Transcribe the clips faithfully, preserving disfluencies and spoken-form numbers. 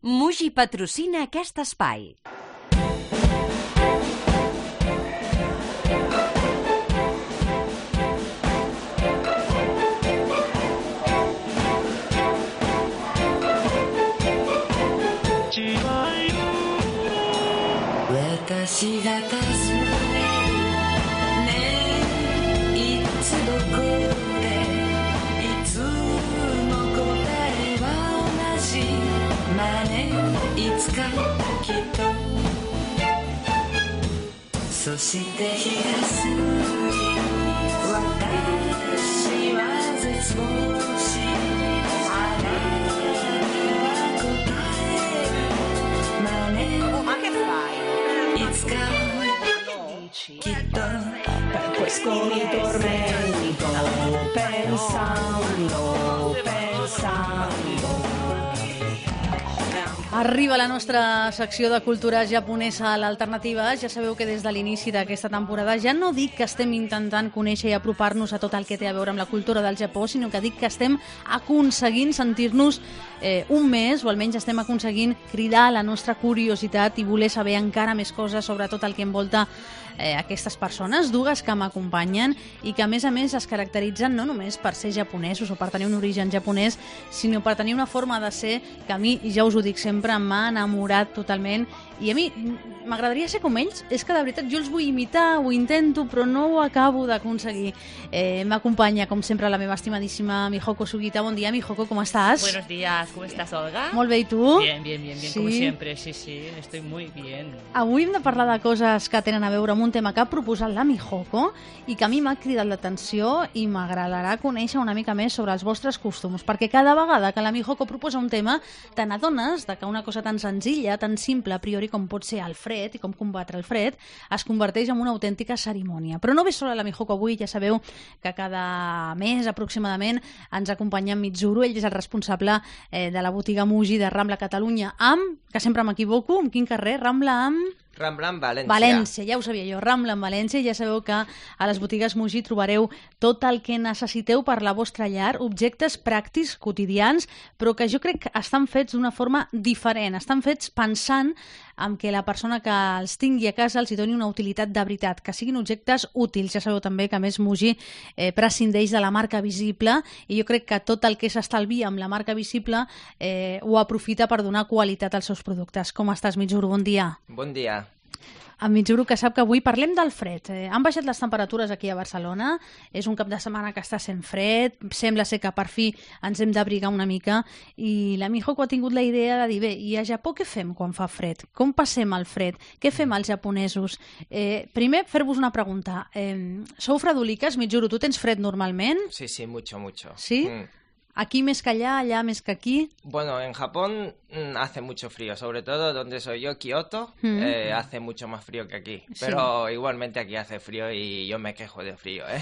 Muji patrocina aquest espai. Per questo mi tormento pensando, pensando. Arriba la nostra secció de cultura japonesa a l'Alternativa. Ja sabeu que des de l'inici d'aquesta temporada ja no dic que estem intentant conèixer i apropar-nos a tot el que té a veure amb la cultura del Japó, sinó que dic que estem aconseguint sentir-nos eh, un mes, o almenys estem aconseguint cridar la nostra curiositat i voler saber encara més coses sobre tot el que envolta eh, aquestes persones, dues que m'acompanyen i que a més a més es caracteritzen no només per ser japonesos o per tenir un origen japonès, sinó per tenir una forma de ser que a mi, ja us ho dic sempre, m'ha enamorat totalment. I a mi m'agradaria ser com ells. És que de veritat jo els vull imitar, ho intento, però no ho acabo d'aconseguir. Eh, M'acompanya, com sempre, la meva estimadíssima Mihoko Sugita. Bon dia, Mihoko, ¿cómo estás? Buenos días, ¿cómo estás, Olga? Molt bé, i tu? Bien, bien, bien, bien, sí. Como siempre, sí, sí, estoy muy bien. Avui hem de parlar de coses que tenen a veure amb un tema que ha proposat la Mihoko i que a mi m'ha cridat l'atenció i m'agradarà conèixer una mica més sobre els vostres costums, perquè cada vegada que la Mihoko proposa un tema te n'adones de que una cosa tan senzilla, tan simple a priori com pot ser el fred i com combatre el fred, es converteix en una autèntica cerimònia. Però no ve sola la Mihoko avui, ja sabeu que cada mes aproximadament ens acompanya en Mitsuru, ell és el responsable eh, de la botiga Muji de Rambla Catalunya amb, que sempre m'equivoco, en quin carrer? Rambla amb... Rambla en València. València, ja ho sabia jo, Rambla en València. Ja sabeu que a les botigues Muji trobareu tot el que necessiteu per la vostra llar, objectes pràctics, quotidians, però que jo crec que estan fets d'una forma diferent. Estan fets pensant en que la persona que els tingui a casa els hi doni una utilitat de veritat, que siguin objectes útils. Ja sabeu també que a més Muji eh, prescindeix de la marca visible i jo crec que tot el que s'estalvia amb la marca visible eh, ho aprofita per donar qualitat als seus productes. Com estàs, Mitsuru? Bon dia. Bon dia. En Mitsuru, que sap que avui parlem del fred. Eh, han baixat les temperatures aquí a Barcelona, és un cap de setmana que està sent fred, sembla ser que per fi ens hem d'abrigar una mica, i la Mihoko ha tingut la idea de dir, bé, i a Japó què fem quan fa fred? Com passem el fred? Què fem els japonesos? Eh, primer, fer-vos una pregunta. Eh, sou fredoliques, Mitsuru? Tu tens fred normalment? Sí, sí, mucho, mucho. Sí? Mm. Aquí més que allà, allà més que aquí. Bueno, en Japón mm, hace mucho frío, sobre todo donde soy yo, Kioto, mm. eh, hace mucho más frío que aquí. Sí. Pero igualmente aquí hace frío y yo me quejo de frío, ¿eh?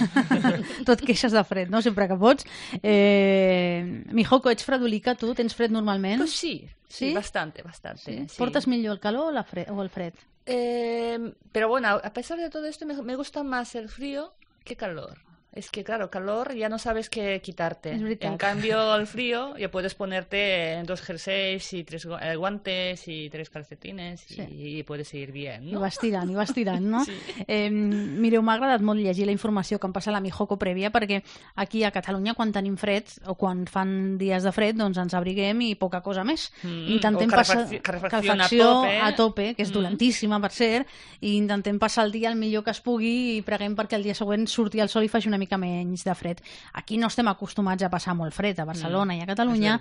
Tu et queixes de fred, no? Sempre que pots. Eh, Mihoko, ets fredolica, tu? Tens fred normalment? Pues sí, sí, sí, bastante, bastante. Sí. Sí. ¿Portas millor el calor o, la fred, o el fred? Eh, pero bueno, a pesar de todo esto, me, me gusta más el frío que calor. Es que, claro, calor ya no sabes qué quitarte. En cambio, el frío ya puedes ponerte dos jerseys y tres guantes y tres calcetines sí. i, i puedes ir bien, no? I vas tirant, i vas tirant, no? Sí. Eh, mireu, m'ha agradat molt llegir la informació que em passa la Mihoko prèvia, perquè aquí a Catalunya, quan tenim fred, o quan fan dies de fred, doncs ens abriguem i poca cosa més. Mm, intentem o passar calefacció a tope, a tope, que és mm. dolentíssima, per cert, i intentem passar el dia el millor que es pugui i preguem perquè el dia següent surti el sol i faci una mica menys de fred. Aquí no estem acostumats a passar molt fred, a Barcelona mm, i a Catalunya,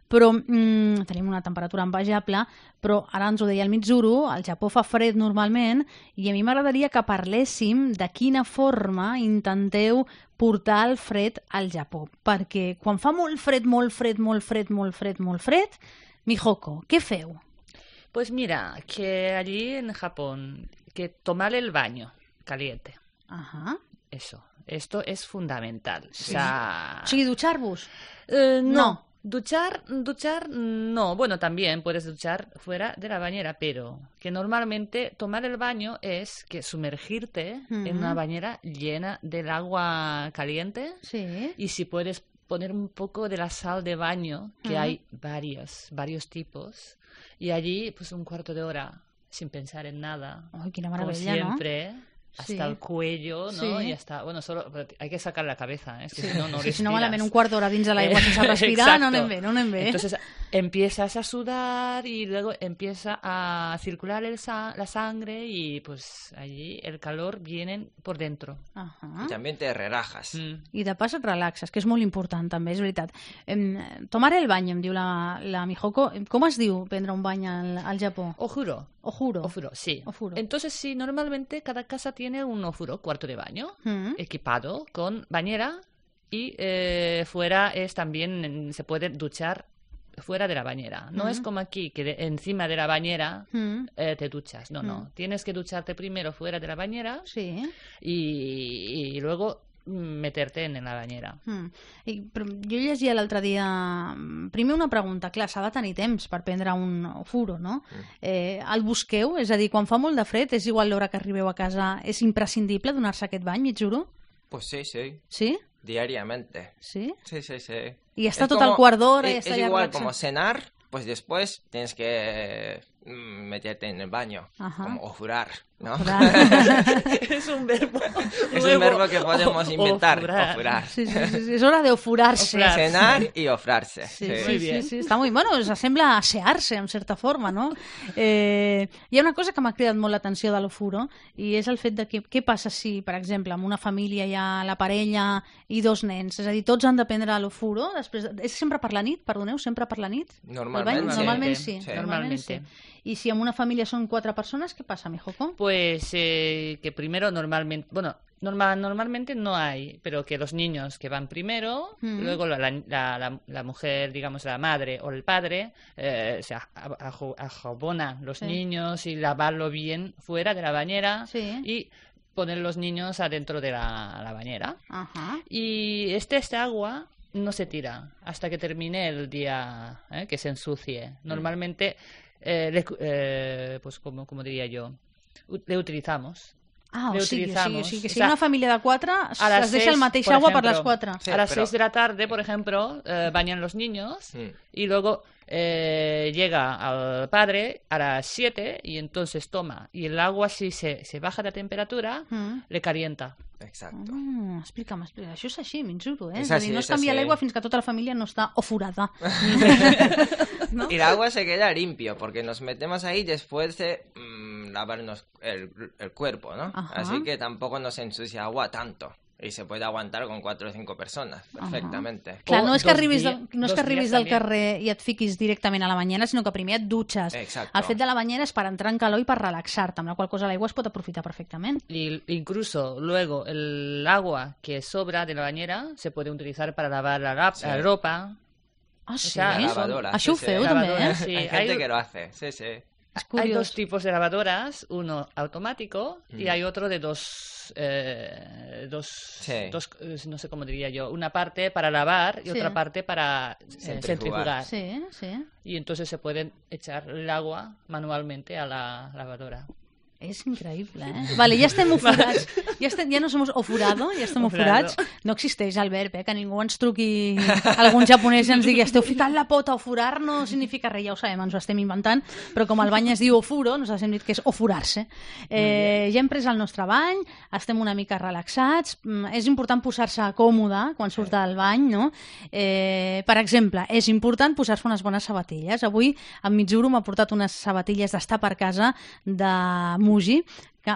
però mm, tenim una temperatura envejable, però ara ens ho deia el Mitsuru, al Japó fa fred normalment, i a mi m'agradaria que parléssim de quina forma intenteu portar el fred al Japó, perquè quan fa molt fred, molt fred, molt fred, molt fred, molt fred, Mihoko, què feu? Pues mira, que allí en Japón, que tomar el baño caliente. Ajá. Eso. Esto es fundamental. Sí. O sea... ¿Sí, duchar-vos? Eh, no. no. Duchar, duchar, no. Bueno, también puedes duchar fuera de la bañera, pero que normalmente tomar el baño es que sumergirte uh-huh. en una bañera llena del agua caliente. Sí. Y si puedes poner un poco de la sal de baño, que uh-huh. hay varios, varios tipos, y allí pues un cuarto de hora sin pensar en nada. ¡Ay, qué maravilla! Como siempre. ¿No? Hasta sí. el cuello, ¿no? Sí. Y hasta, bueno, solo hay que sacar la cabeza, ¿eh? Es que si no, no sí, respiras. Si no, malament un quart d'hora dins de l'aigua sense respirar, no anem bé, no anem bé. Entonces empiezas a sudar y luego empieza a circular el sa la sangre y pues allí el calor viene por dentro. Uh -huh. I també te relajas. Mm. I de pas et relaxes, que és molt important també, és veritat. Eh, tomar el bany, em diu la, la Mijoko. Com es diu prendre un bany al, al Japó? Ojuro. Ojuro. Ofuro, sí. Ofuro. Entonces, sí, normalmente cada casa tiene un ofuro, cuarto de baño, mm. equipado con bañera y eh, fuera es también, se puede duchar fuera de la bañera. No mm. es como aquí, que de, encima de la bañera mm. eh, te duchas. No, mm. no. Tienes que ducharte primero fuera de la bañera sí. y, y luego meterte en la bañera. Mm. I, però jo llegia l'altre dia... Primer una pregunta, clar, s'ha de tenir temps per prendre un ofuro, no? Mm. Eh, el busqueu? És a dir, quan fa molt de fred, és igual l'hora que arribeu a casa, és imprescindible donar-se aquest bany, Mitsuru? Pues sí, sí. ¿Sí? Diariamente. ¿Sí? Sí, sí, sí. Y está es todo como, al cuarto de hora. Es, es igual relaxa. Como cenar, pues después tienes que meterte en el baño, Ajá. como ofurar, ¿no? Es un verbo. Es un verbo que podemos o, inventar, ofurar. ofurar. Sí, sí, sí, sí, es hora de ofurarse. Ofrar. Cenar y ofrarse. Sí, sí. sí, Muy sí, bien. sí, sí, està molt... Bueno, s'assembla a asear-se, en certa forma, no? Eh, hi ha una cosa que m'ha cridat molt l'atenció de l'ofuro, i és el fet de que què passa si, per exemple, en una família hi ha la parella i dos nens, és a dir, tots han de prendre l'ofuro, després... De... És sempre per la nit, perdoneu, sempre per la nit? Normalment, sí. Normalment sí. sí. Normalment sí. Y si en una familia son cuatro personas, ¿qué pasa, Mijoko? Pues eh, que primero normalmente, bueno, normal, normalmente no hay, pero que los niños que van primero, mm. luego la, la, la, la mujer, digamos la madre o el padre, eh, se ajabona los sí. niños y lavarlo bien fuera de la bañera sí. y poner los niños adentro de la, la bañera. Ajá. Y este, este agua no se tira hasta que termine el día, ¿eh? Que se ensucie. Normalmente... Eh, le, eh, pues como, como diría yo, le utilizamos. Ah, le o sigui, utilizamos. o sigui, que si o sea, una família de quatre a es deixa el mateix agua ejemplo, per les quatre. Sí, a las pero... seis de la tarde, por ejemplo, eh, bañan los niños sí. y luego eh, llega al padre a las siete y entonces toma. Y el agua, si se, se baja de temperatura, mm. le calienta. Exacto. Oh, explica'm, explica. Això és així, Mitsuru, eh? És, és a dir, així, no es canvia l'aigua fins que tota la família no està ofurada. ¿No? Y el agua se queda limpio porque nos metemos ahí después de mmm, lavarnos el, el cuerpo, ¿no? Ajá. Así que tampoco nos ensucia agua tanto. Y se puede aguantar con cuatro o cinco persones, perfectament. Clar, no és que arribis, del, no és que arribis del carrer i et fiquis directament a la banyera, sinó que primer et dutxes. Exacto. El fet de la banyera és per entrar en calor i per relaxar-te, amb la qual cosa l'aigua es pot aprofitar perfectament. Y incluso luego el agua que sobra de la bañera se puede utilizar para lavar la, la, sí. la ropa. Ah, sí? O sea, la lavadora. Això sí, ho feu sí. també, eh? Sí, hay gente hay... que lo hace, sí, sí. Hay dos tipos de lavadoras, uno automático mm. y hay otro de dos, eh, dos, sí. dos, no sé cómo diría yo, una parte para lavar y sí. otra parte para eh, centrifugar. centrifugar. Sí, sí. Y entonces se pueden echar el agua manualmente a la lavadora. És increïble, eh? Vale, ja estem ofurats. Ja, estem, ja no som ofurado, ja estem ofurats. No existeix el verb, eh? Que ningú ens truqui algun japonès i ens digui esteu ficant la pota, ofurar no significa res, ja ho sabem, ens ho estem inventant, però com el bany es diu ofuro, nosaltres hem dit que és ofurar-se. Eh, ja hem pres el nostre bany, estem una mica relaxats, és important posar-se còmode quan surt del bany, no? Eh, per exemple, és important posar-se unes bones sabatilles. Avui en Mitsuru m'ha portat unes sabatilles d'estar per casa de Muji, que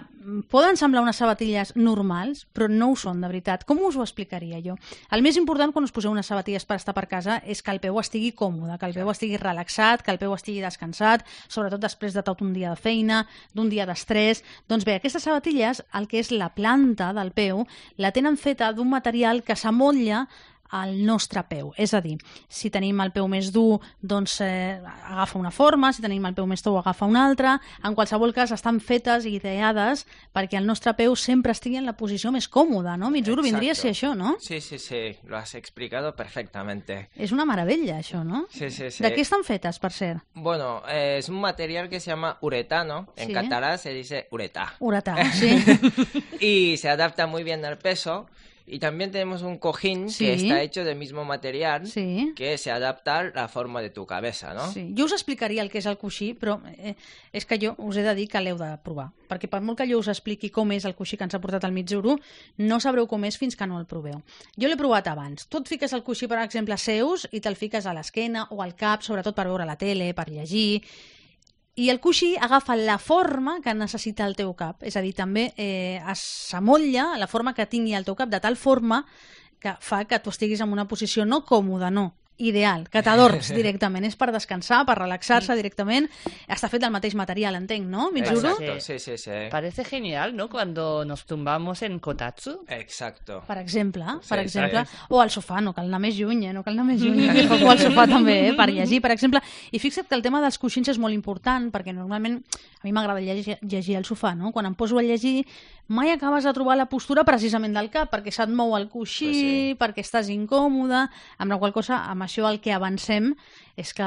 poden semblar unes sabatilles normals, però no ho són, de veritat. Com us ho explicaria jo? El més important quan us poseu unes sabatilles per estar per casa és que el peu estigui còmode, que el peu estigui relaxat, que el peu estigui descansat, sobretot després de tot un dia de feina, d'un dia d'estrès. Doncs bé, aquestes sabatilles, el que és la planta del peu, la tenen feta d'un material que s'amotlla al nostre peu. És a dir, si tenim el peu més dur, doncs eh, agafa una forma, si tenim el peu més tou, agafa una altra. En qualsevol cas, estan fetes i ideades perquè el nostre peu sempre estigui en la posició més còmoda, no? Mitsuru, vindria a ser això, no? Sí, sí, sí, lo has explicado perfectamente. És una meravella, això, no? Sí, sí, sí. ¿De qué están fetas, per cert? Bueno, eh, es un material que se llama uretano. En sí. catalán se dice uretá. Uretá, sí. Y se adapta muy bien al peso. Y también tenemos un cojín Sí. que está hecho del mismo material Sí. que se adapta a la forma de tu cabeza, ¿no? Sí. Jo us explicaria el que és el coixí, però eh, és que jo us he de dir que l'heu de provar. Perquè per molt que jo us expliqui com és el coixí que ens ha portat al Mitsuru, no sabreu com és fins que no el proveu. Jo l'he provat abans. Tu et fiques el coixí, per exemple, seus i te'l fiques a l'esquena o al cap, sobretot per veure la tele, per llegir. I el coixí agafa la forma que necessita el teu cap. És a dir, també eh, s'amotlla la forma que tingui el teu cap, de tal forma que fa que tu estiguis en una posició no còmoda, no, ideal, que t'adorms directament. És per descansar, per relaxar-se directament. Està fet del mateix material, entenc, ¿no, Mitsuru? Exacto, sí, sí, sí. Parece genial, ¿no? Cuando nos tumbamos en kotatsu. Exacto. Per exemple, per Sí, exemple. sí. O al sofà, no cal anar més lluny, eh? No cal anar més lluny. O al sofà també, eh? Per llegir, per exemple. I fixa't que el tema dels coixins és molt important, perquè normalment a mi m'agrada llegir, llegir al sofà, no? Quan em poso a llegir, mai acabes de trobar la postura precisament del cap, perquè se't mou el coixí, Pues sí. perquè estàs incòmode, amb la qual cosa, amb això el que avancem és que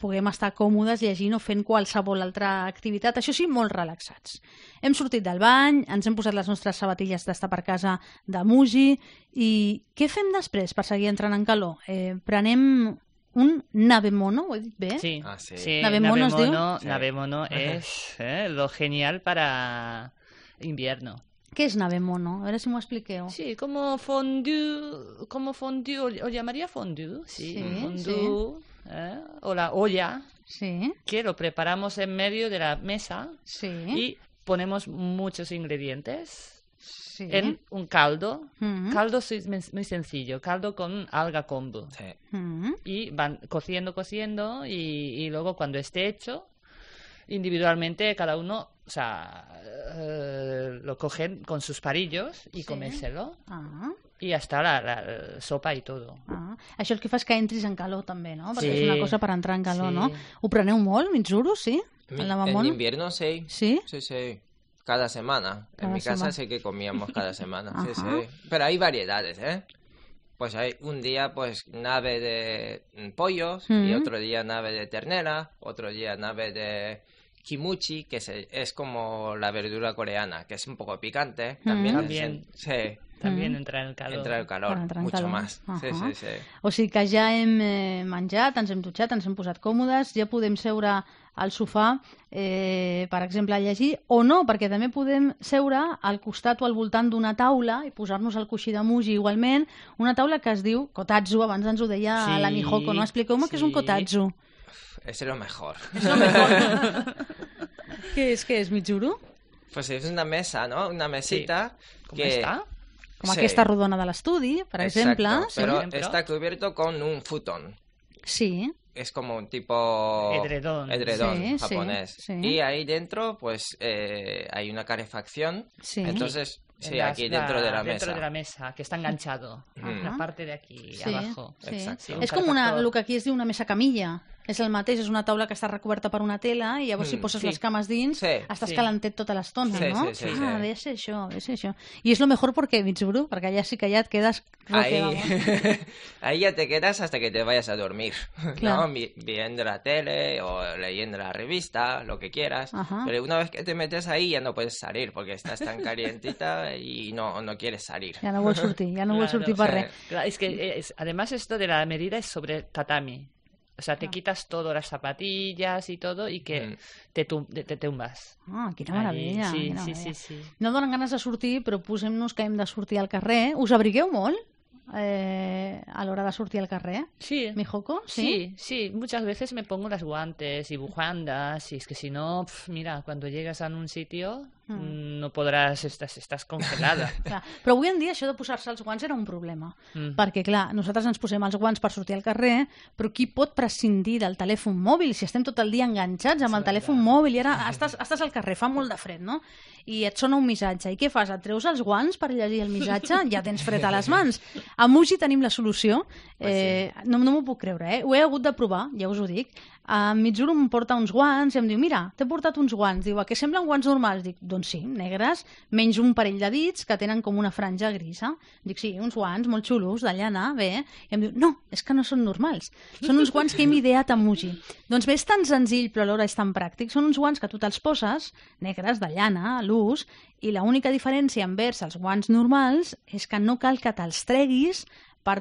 puguem estar còmodes llegint o fent qualsevol altra activitat, això sí, molt relaxats. Hem sortit del bany, ens hem posat les nostres sabatilles d'estar per casa de Muji, i què fem després per seguir entrant en calor? Eh, prenem un nabemono, ho he dit bé? Sí, Ah, sí. sí. Nabemono es diu? Nabemono, Sí. Nabemono es eh, lo genial para invierno. Què és nabemono? A veure si m'ho expliqueu. Sí, como fondue, como fondue, o, o llamaría fondue, sí, Sí, fondue, ¿eh? O la olla, Sí, que lo preparamos en medio de la mesa sí, y ponemos muchos ingredientes sí. en un caldo. Mm. Caldo es muy muy sencillo, caldo con alga kombu. Sí. Mm. Y van cociendo, cociendo y, y luego cuando esté hecho, individualmente cada uno, o sea, eh, lo cogen con sus parillos y Sí. comérselo. Ah, Y hasta la, la, la sopa y todo. ah. Això el que fa és que entris en calor també, no? Perquè Sí. és una cosa per entrar en calor, Sí. no? Ho preneu molt, Mitsuru, sí? Mi- El En nabemono? invierno sí. Sí? Sí, sí. Cada semana. Cada en mi semana. casa sí que comíamos cada semana. Sí, Ajá. sí. Pero hay variedades, ¿eh? Pues hay un día, pues, nave de mm, pollos, y Mm. otro día nave de ternera, otro día nave de kimuchi, que se- es como la verdura coreana, que es un poco picante. También, Mm. es- También. sí, También Mm. entra en el calor. entra el calor, Para entrar en mucho calor. más. Sí, Ajá. sí, sí. O sigui que ja hem eh, menjat, ens hem dutxat, ens hem posat còmodes, ja podem seure al sofà, eh, per exemple, a llegir, o no, perquè també podem seure al costat o al voltant d'una taula i posar-nos el coixí de Muji igualment, una taula que es diu kotatsu, abans ens ho deia Sí, la Mihoko, no? Expliqueu-me què és un sí. kotatsu. Es lo mejor. Què és, què és, Mitsuru? Pues es una mesa, ¿no? Una mesita ¿Cómo que... está? Com Sí. aquesta rodona de l'estudi, per Exacto, exemple. Sí. pero ejemplo. está cubierto con un futón. Sí. Es como un tipo Edredón. edredón Sí, sí, japonés. sí. Y ahí dentro, pues, eh, hay una calefacción. Sí. Entonces, sí, En las- aquí dentro de la dentro mesa. de la mesa, que está enganchado. Mm. La parte de aquí, Sí, abajo. sí. Exacto. Sí, un És com una, calefactor. el que aquí es diu una mesa camilla. És el mateix, és una taula que està recoberta per una tela i llavors si Mm, poses sí. les cames dins Sí, estàs sí. calentet tota l'estona, Sí, no? sí, sí, ah, sí. debe ser això, debe ser això. I és lo mejor perquè, Mitsuru, perquè allà sí que ja et quedes roque, Ahí, vamos. ahí ya te quedas hasta que te vayas a dormir, Claro. ¿no? Vi- Viendo la tele o leyendo la revista, lo que quieras. Ajá. Pero una vez que te metes ahí ya no puedes salir porque estás tan calientita y no, no quieres salir. Ja no vol sortir, ja no vol Claro, sortir per sí. res. Claro, es que es- además esto de la medida es sobre tatami. O sea, te Ah. quitas todo, las zapatillas y todo, y que Mm. te, tum- te, te tumbas. Ah, quina Allí, meravella. sí, quina sí, meravella. sí, sí. No donen ganes de sortir, però posem-nos que hem de sortir al carrer. Us abrigueu molt eh, a l'hora de sortir al carrer? Sí. Mihoko? Sí, sí, muchas veces me pongo las guantes y bufandas, y es que si no, pf, mira, cuando llegas a un sitio Mm. mm, no podrás, estás, estás congelada. Clar. Però avui en dia això de posar-se els guants era un problema. Mm. Perquè, clar, nosaltres ens posem els guants per sortir al carrer, però qui pot prescindir del telèfon mòbil si estem tot el dia enganxats amb el telèfon mòbil i ara estàs, estàs al carrer, fa molt de fred, no? I et sona un missatge. I què fas? Et treus els guants per llegir el missatge? Ja tens fred a les mans. A Muji tenim la solució. Eh, no no m'ho puc creure, eh? Ho he hagut de provar, ja us ho dic. a Mitsuru em porta uns guants i em diu, mira, t'he portat uns guants. Diu, a què semblen guants normals? Dic, doncs sí, negres, menys un parell de dits que tenen com una franja grisa. Dic, sí, uns guants molt xulos, de llana, bé. I em diu, no, és que no són normals. Són uns guants que hem ideat a Muji. Doncs bé, és tan senzill, però alhora és tan pràctic. Són uns guants que tu te'ls poses, negres, de llana, a l'ús, i l'única diferència envers els guants normals és que no cal que te'ls treguis per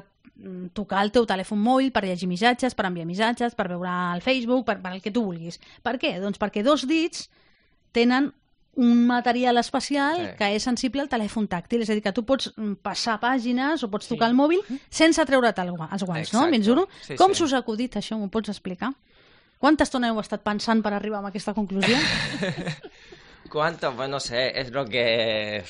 tocar el teu telèfon mòbil, per llegir missatges, per enviar missatges, per veure el Facebook, per, per el que tu vulguis. Per què? Doncs perquè dos dits tenen un material especial sí. que és sensible al telèfon tàctil, és a dir, que tu pots passar pàgines o pots sí. tocar el mòbil sense treure't els guants, Exacte. no? Mitsuru? Sí, Com sí. s'us ha acudit això? M'ho pots explicar? Quanta estona heu estat pensant per arribar a aquesta conclusió? ¿Cuánto? Pues no sé, es lo que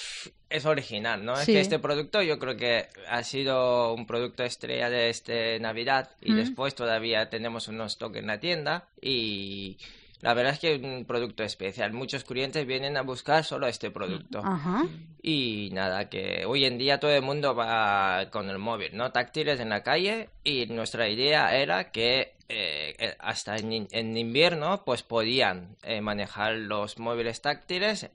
es original, ¿no? Sí. Es que este producto yo creo que ha sido un producto estrella de este Navidad y mm. después todavía tenemos unos stock en la tienda y la verdad es que es un producto especial. Muchos clientes vienen a buscar solo este producto. Uh-huh. Y nada, que hoy en día todo el mundo va con el móvil, ¿no? Táctiles en la calle y nuestra idea era que eh, hasta en, en invierno pues podían eh, manejar los móviles táctiles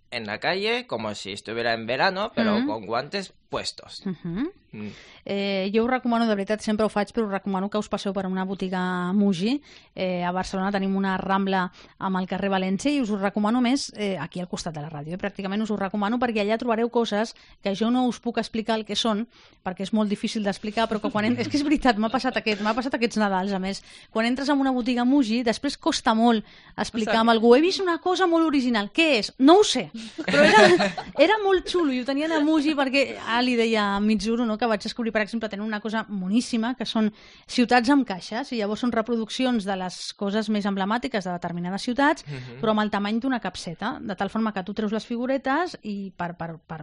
en la calle como si estuviera en verano, pero uh-huh. con guantes puestos. Uh-huh. Mm. Eh, jo us recomano, de veritat, sempre ho faig, però us recomano que us passeu per una botiga Muji. Eh, a Barcelona tenim una Rambla amb el carrer València i us ho recomano més eh, aquí al costat de la ràdio. Eh? Pràcticament us ho recomano perquè allà trobareu coses que jo no us puc explicar el que són, perquè és molt difícil d'explicar, però que quan entres... És que és veritat, m'ha passat, aquest, m'ha passat aquests Nadals, a més. Quan entres en una botiga Muji, després costa molt explicar amb algú. He vist una cosa molt original. Què és? No ho sé. Però era, era molt xulo i ho tenien a Muji perquè ah, li deia a Mitsuru, no, que vaig descobrir, per exemple, tenen una cosa moníssima, que són ciutats amb caixes, i llavors són reproduccions de les coses més emblemàtiques de determinades ciutats, uh-huh. però amb el tamany d'una capseta, de tal forma que tu treus les figuretes i per, per, per,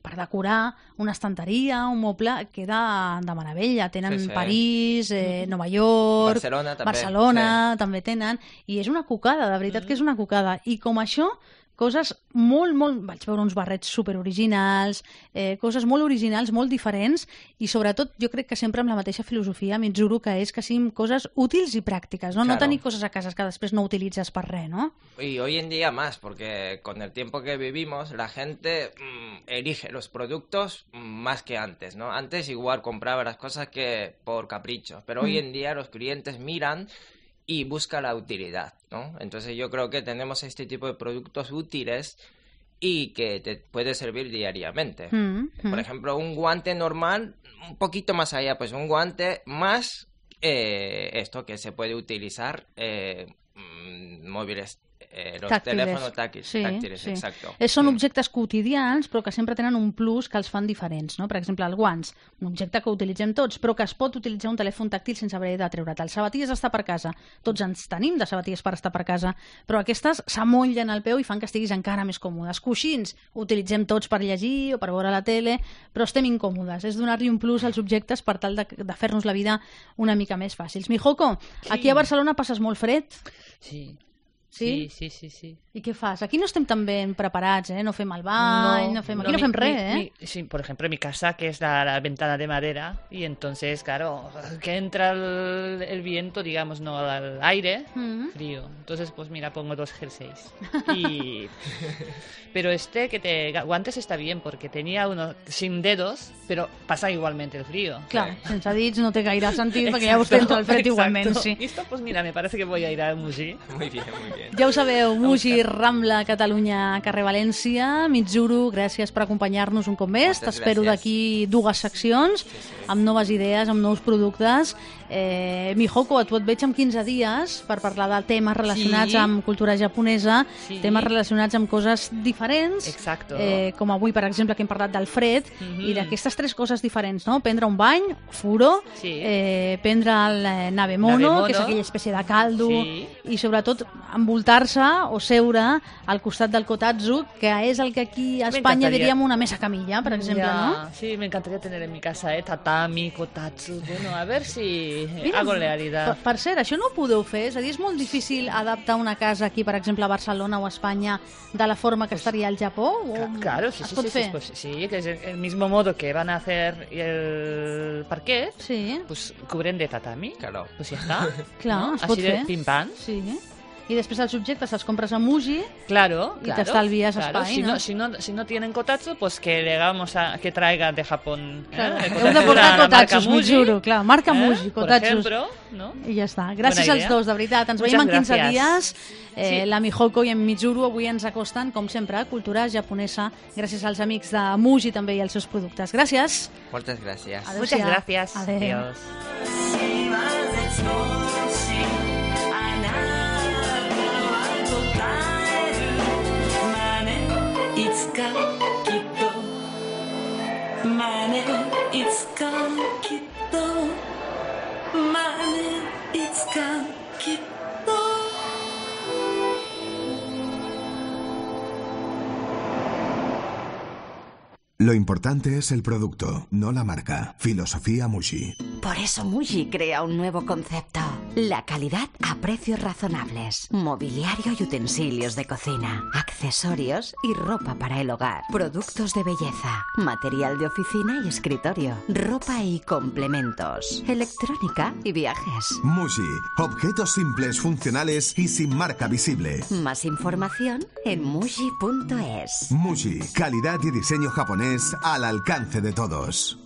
per decorar una estanteria, un moble, queda de meravella. Tenen sí, sí. París, eh, Nova York, Barcelona, també, Barcelona sí. també tenen, i és una cocada, de veritat que és una cocada. I com això, coses molt, molt... Vaig veure uns barrets superoriginals, eh, coses molt originals, molt diferents, i sobretot jo crec que sempre amb la mateixa filosofia, Mitsuru, que és que siguin coses útils i pràctiques, no? Claro. No tenir coses a casa que després no utilitzes per res, ¿no? Y hoy en día más, porque con el tiempo que vivimos, la gente mmm, elige los productos más que antes, ¿no? Antes igual compraba las cosas que por capricho, pero mm. hoy en día los clientes miran y busca la utilidad, ¿no? Entonces yo creo que tenemos este tipo de productos útiles y que te puede servir diariamente. Mm-hmm. Por ejemplo, un guante normal, un poquito más allá, pues un guante más eh, esto que se puede utilizar eh, móviles Eh, los tàctiles. telèfons tàctiles, sí, tàctiles sí. exacto. Eh, són objectes quotidians, però que sempre tenen un plus que els fan diferents, no? Per exemple, els guants, un objecte que utilitzem tots, però que es pot utilitzar un telèfon tàctil sense haver de treure't. Els sabatilles està per casa. Tots ens tenim de sabatilles per estar per casa, però aquestes s'amollen al peu i fan que estiguis encara més còmodes. Coixins, utilitzem tots per llegir o per veure la tele, però estem incòmodes. És donar-li un plus als objectes per tal de, de fer-nos la vida una mica més fàcils. Mijoko, sí. Aquí a Barcelona passes molt fred? Sí. Sí? Sí, sí, sí, sí. I què fas? Aquí no estem tan ben preparats, ¿eh? No fem el bany, no, no fem... Aquí no, no fem res, ¿eh? Mi, sí, por ejemplo, mi casa, que es la, la ventana de madera, y entonces, claro, que entra el, el viento, digamos, no al aire, uh-huh. frío. Entonces, pues mira, pongo dos jerseys. Y... Pero este que te... Guantes está bien, porque tenía uno sin dedos, pero pasa igualmente el frío. Clar, sí. Sense dits no té gaire sentit, perquè ja vostè entra el fred exacto. igualment, sí. Y esto, pues mira, me parece que voy a ir a Muji. Muy bien, muy bien. Ja ho sabeu, Muji, Rambla, Catalunya, carrer València. Mitsuru, gràcies per acompanyar-nos un cop més. T'espero d'aquí dues seccions, amb noves idees, amb nous productes. Eh, Mijoko, a tu et veig en quinze dies per parlar de temes relacionats sí. amb cultura japonesa, sí. temes relacionats amb coses diferents, exacto. Eh, com avui, per exemple, que hem parlat del fred, mm-hmm. i d'aquestes tres coses diferents, no? Prendre un bany, furo, sí. eh, prendre el nabemono, nabemono, que és aquella espècie de caldo, sí. i sobretot envoltar envoltar-se o seure al costat del kotatsu, que és el que aquí a Espanya diríem una mesa camilla, per exemple, ya, ¿no? Sí, me encantaría tener en mi casa, ¿eh? Tatami, kotatsu, bueno, a ver si Mira, hago realidad. Per, per cert, això no ho podeu fer? És a dir, és molt difícil adaptar una casa aquí, per exemple, a Barcelona o a Espanya, de la forma que estaria al Japó? O claro, sí, es sí, pot sí, fer? Sí, pues, sí, que es el mismo modo que van a hacer el parquet, sí. Pues cubren de tatami, claro. Pues ya está. Clar, ¿no? es pot Así fer. de pim-pam. Sí. I després els objectes els compres a Muji, claro, y claro, te estalvies claro. espai, si ¿no? no, si no si no tienen kotatsu, pues que digamos a, que traigan de Japón. Claro. ¿eh? Heu de portar kotatsus, m'ho Muji, juro, clar, marca ¿eh? Muji, Por kotatsus. ejemplo, ¿no? I ja està. Gràcies als dos, de veritat. Ens Muchas veiem en quinze gracias. dies. Eh, Sí. La Mihoko i en Mitsuru avui ens acosten, com sempre, a cultura japonesa, gràcies als amics de Muji també i als seus productes. Gràcies. Moltes gràcies. Muchas gracias. Adéu. Adiós. Lo importante es el producto, no la marca. Filosofía Muji. Por eso Muji crea un nuevo concepto. La calidad a precios razonables. Mobiliario y utensilios de cocina. Accesorios y ropa para el hogar. Productos de belleza. Material de oficina y escritorio. Ropa y complementos. Electrónica y viajes. Muji. Objetos simples, funcionales y sin marca visible. Más información en muji punto es. Muji. Calidad y diseño japonés al alcance de todos.